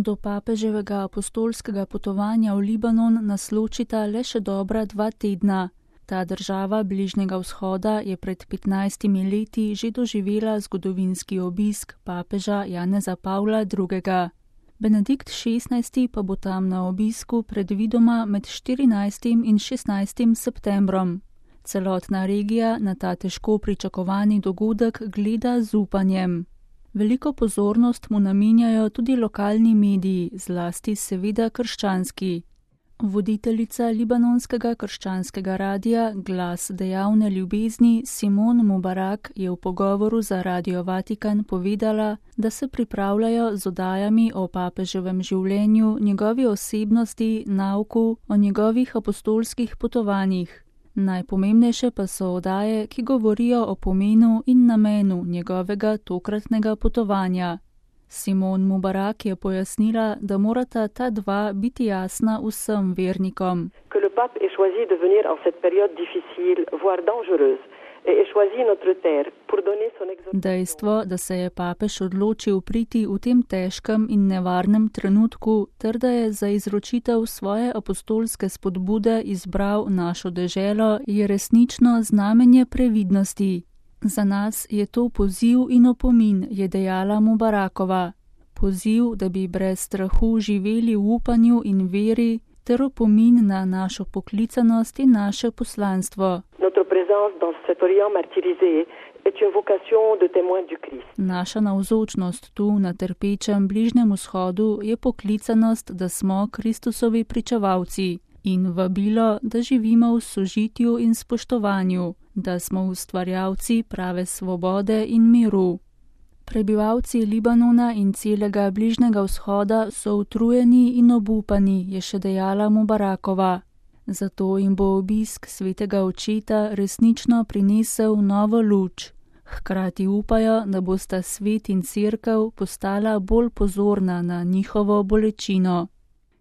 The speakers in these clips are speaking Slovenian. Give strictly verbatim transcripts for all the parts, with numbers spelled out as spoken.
Do papeževega apostolskega potovanja v Libanon nas ločita le še dobra dva tedna. Ta država Bližnjega vzhoda je pred petnajstimi leti že doživela zgodovinski obisk papeža Janeza Pavla drugega. Benedikt šestnajsti pa bo tam na obisku predvidoma med štirinajstim in šestnajstim septembrom. Celotna regija na ta težko pričakovani dogodek gleda z upanjem. Veliko pozornost mu namenjajo tudi lokalni mediji, zlasti seveda krščanski. Voditeljica libanonskega krščanskega radia Glas dejavne ljubezni Simon Mubarak je v pogovoru za Radio Vatikan povedala, da se pripravljajo z oddajami o papeževem življenju, njegovi osebnosti, nauku, o njegovih apostolskih potovanjih. Najpomembnejše pa so oddaje, ki govorijo o pomenu in namenu njegovega tokratnega potovanja. Simon Mubarak je pojasnila, da morata ta dva biti jasna vsem vernikom. Dejstvo, da se je papež odločil priti v tem težkem in nevarnem trenutku, ter da je za izročitev svoje apostolske spodbude izbral našo deželo, je resnično znamenje previdnosti. Za nas je to poziv in opomin, je dejala Mubarakova. Poziv, da bi brez strahu živeli v upanju in veri, ter opomin na našo poklicanost in naše poslanstvo. Naša navzočnost tu na trpečem Bližnjem vzhodu je poklicanost, da smo Kristusovi pričevalci in vabilo, da živimo v sožitju in spoštovanju, da smo ustvarjalci prave svobode in miru. Prebivalci Libanona in celega Bližnjega vzhoda so utrujeni in obupani, je še dejala Mubarakova. Zato jim bo obisk svetega očeta resnično prinesel novo luč. Hkrati upajo, da bosta svet in cerkev postala bolj pozorna na njihovo bolečino.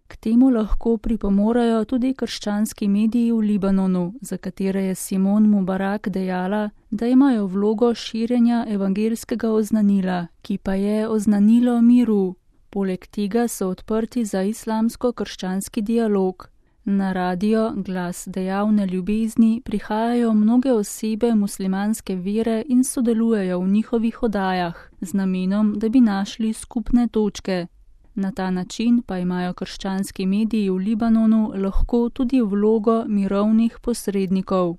K temu lahko pripomorajo tudi krščanski mediji v Libanonu, za katere je Simon Mubarak dejala, da imajo vlogo širjenja evangelskega oznanila, ki pa je oznanilo miru. Poleg tega so odprti za islamsko-krščanski dialog. Na radio Glas dejavne ljubezni prihajajo mnoge osebe muslimanske vere in sodelujejo v njihovih oddajah, z namenom, da bi našli skupne točke. Na ta način pa imajo krščanski mediji v Libanonu lahko tudi vlogo mirovnih posrednikov.